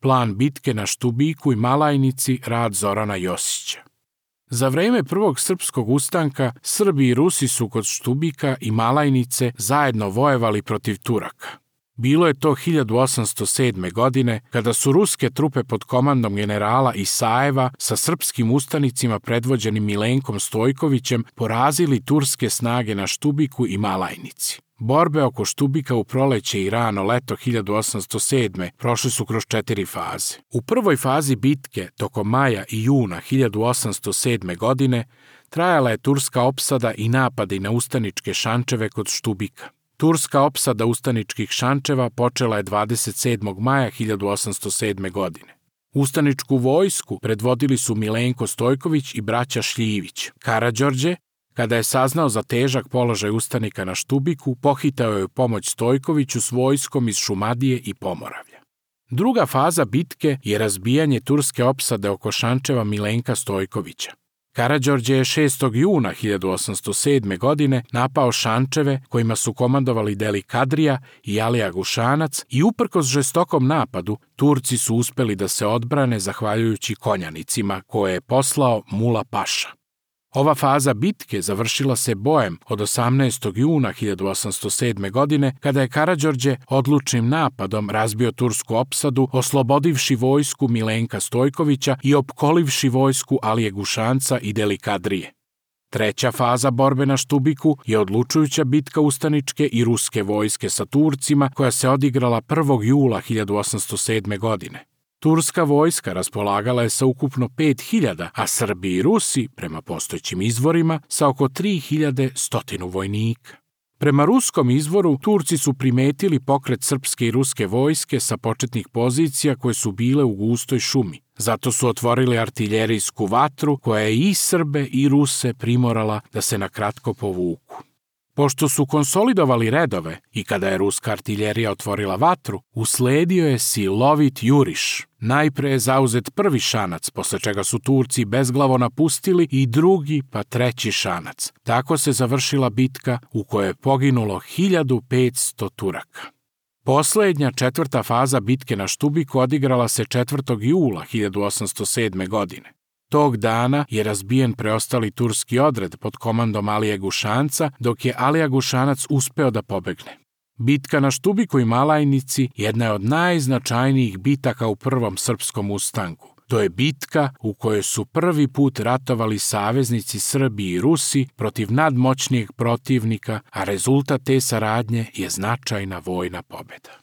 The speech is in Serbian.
Plan bitke na Štubiku i Malajnici, rad Zorana Josića. Za vreme prvog srpskog ustanka, Srbi i Rusi su kod Štubika i Malajnice zajedno vojevali protiv Turaka. Bilo je to 1807. godine, kada su ruske trupe pod komandom generala Isajeva sa srpskim ustanicima predvođenim Milenkom Stojkovićem porazili turske snage na Štubiku i Malajnici. Borbe oko Štubika u proleće i rano leto 1807. prošle su kroz 4 faze. U prvoj fazi bitke, tokom maja i juna 1807. godine, trajala je turska opsada i napadi na ustaničke šančeve kod Štubika. Turska opsada ustaničkih šančeva počela je 27. maja 1807. godine. Ustaničku vojsku predvodili su Milenko Stojković i braća Šljivić. Karađorđe, kada je saznao za težak položaj ustanika na Štubiku, pohitao je u pomoć Stojkoviću s vojskom iz Šumadije i Pomoravlja. Druga faza bitke je razbijanje turske opsade oko šančeva Milenka Stojkovića. Karađorđe je 6. juna 1807. godine napao šančeve kojima su komandovali Deli Kadrija i Alija Gušanac i uprkos žestokom napadu, Turci su uspeli da se odbrane zahvaljujući konjanicima koje je poslao Mula Paša. Ova faza bitke završila se bojem od 18. juna 1807. godine, kada je Karađorđe odlučnim napadom razbio tursku opsadu, oslobodivši vojsku Milenka Stojkovića i opkolivši vojsku Alije Gušanca i Deli Kadrije. Treća faza borbe na Štubiku je odlučujuća bitka ustaničke i ruske vojske sa Turcima, koja se odigrala 1. jula 1807. godine. Turska vojska raspolagala je sa ukupno 5.000, a Srbi i Rusi, prema postojećim izvorima, sa oko 3.100 vojnika. Prema ruskom izvoru, Turci su primetili pokret srpske i ruske vojske sa početnih pozicija koje su bile u gustoj šumi. Zato su otvorili artiljerijsku vatru koja je i Srbe i Ruse primorala da se na kratko povuku. Pošto su konsolidovali redove i kada je ruska artiljerija otvorila vatru, usledio je silovit juriš. Najpre je zauzet prvi šanac, posle čega su Turci bezglavo napustili i drugi pa treći šanac. Tako se završila bitka u kojoj je poginulo 1500 Turaka. Poslednja, četvrta faza bitke na Štubiku odigrala se 4. jula 1807. godine. Tog dana je razbijen preostali turski odred pod komandom Alije Gušanca, dok je Alija Gušanac uspeo da pobegne. Bitka na Štubiku i Malajnici jedna je od najznačajnijih bitaka u prvom srpskom ustanku. To je bitka u kojoj su prvi put ratovali saveznici Srbi i Rusi protiv nadmoćnijeg protivnika, a rezultat te saradnje je značajna vojna pobeda.